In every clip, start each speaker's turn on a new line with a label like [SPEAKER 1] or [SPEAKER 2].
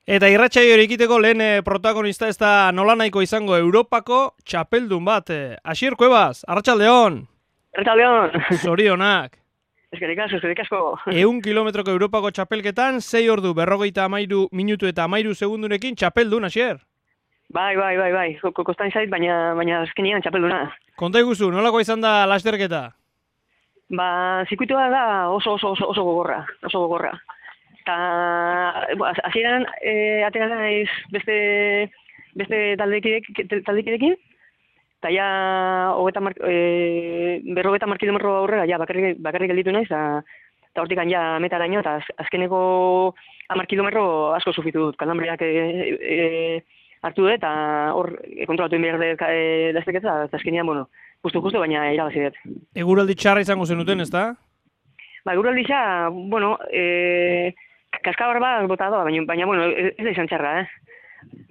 [SPEAKER 1] Eta irratsaio hori ekiteko lehen protagonista ez da nolanahiko izango Europako txapeldun bat. Asier Cuevas, arratsaldeon.
[SPEAKER 2] Arratsaldeon.
[SPEAKER 1] Zorionak.
[SPEAKER 2] Eskerrik asko.
[SPEAKER 1] 100 kilometroko Europako txapelketan, 6 ordu 53 minutu eta 13 segundurekin txapeldun, Asier.
[SPEAKER 2] Bai. Kostan zait, baina azkenean txapelduna.
[SPEAKER 1] Konta iguzu, nolako izan da lasterketa?
[SPEAKER 2] Zirkuitua da oso gogorra. Ta hasieran atera naiz beste taldekidekin. Ta ja 50 kilometro aurrera ja bakarrik gelditu naiz ta hortikan ja metaraino ta azkeneko 10 kilometro asko sufritu dut. Kalambriak hartu dut eta hor kontrolatu egin behar lasterketa eta azkenean justu baina irabazi dut.
[SPEAKER 1] Eguraldi txarra izango zenuten, ezta?
[SPEAKER 2] Eguraldi kaskabar bat bota doa, baina ez da izan txarra,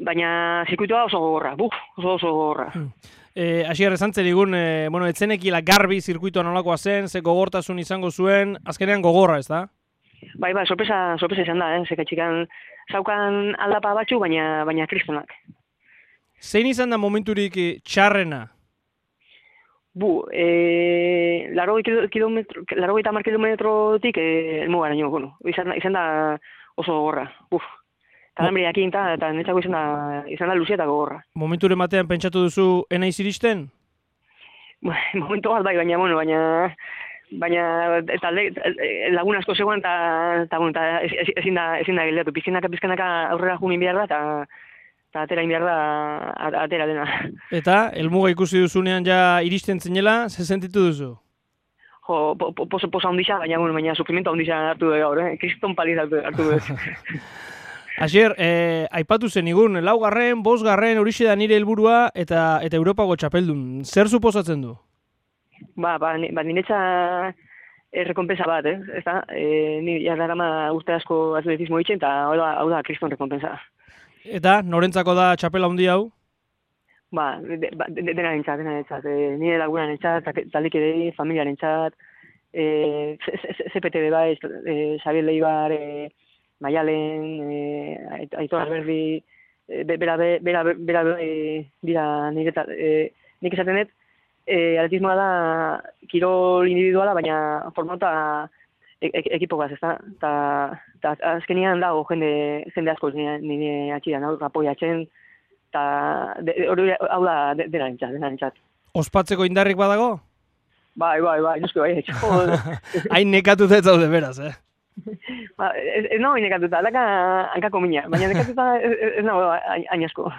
[SPEAKER 2] Baina zirkuitua oso gogorra, oso gogorra.
[SPEAKER 1] Asier, esan zerigun, etzenekila garbi zirkuitua nolakoa zen, ze gogortasun izango zuen, azkenean gogorra, ez da?
[SPEAKER 2] Bai, sorpresa izan da, zekatxikan zaukan aldapa batzu, baina kristonak.
[SPEAKER 1] Zein izan da momenturik txarrena?
[SPEAKER 2] 80 kilometrotik elmugaraino, izan da oso gogorra. Kalambriakin eta netzako izan da luzia eta gogorra.
[SPEAKER 1] Momenturen batean pentsatu duzu enaiz iristen?
[SPEAKER 2] Momentu bat bai, baina lagun asko zegoen eta ezin da geldatu. Pizkanaka aurrera jumin behar da eta atera in behar da atera dena.
[SPEAKER 1] Eta, helmuga ikusi duzunean ja iristen zinela, ze sentitu duzu?
[SPEAKER 2] Posa ondisa, baina sufrimento ondisa hartu du gaur, kriston paliz hartu du.
[SPEAKER 1] Asier, aipatu zenigun, 4., 5. horixe da nire helburua eta Europako txapeldun. Zer suposatzen du?
[SPEAKER 2] Niretza errekompensa bat, ez da? Ni jarrarama urte asko atletismo ditzen, eta hau da kriston rekompensa.
[SPEAKER 1] Eta, norentzako da txapela handi hau?
[SPEAKER 2] Dena nintzat. Nire lagunan nintzat, taldikidei, familiaren nintzat, CPTB bai, Xabier Leibar, Maialen, Aitor Alberdi, bera dira nik esaten dut, atletismoa da kirol individuala, baina formata ekipokaz, ez da? Eta azkenean dago jende asko nire atxidan, apoiatzen, eta hau da dena nintzat.
[SPEAKER 1] Ospatzeko indarrik badago?
[SPEAKER 2] Bai, noski bai.
[SPEAKER 1] Hain nekatuta ez zaude beraz,
[SPEAKER 2] Ez nago nekatuta, alaka hankako mina, baina nekatuta ez nago hain asko.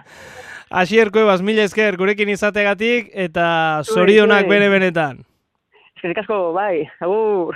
[SPEAKER 1] Asier Cuevas, mila esker gurekin izategatik eta zorionak bere benetan.
[SPEAKER 2] Eskerrik asko, bai, agur.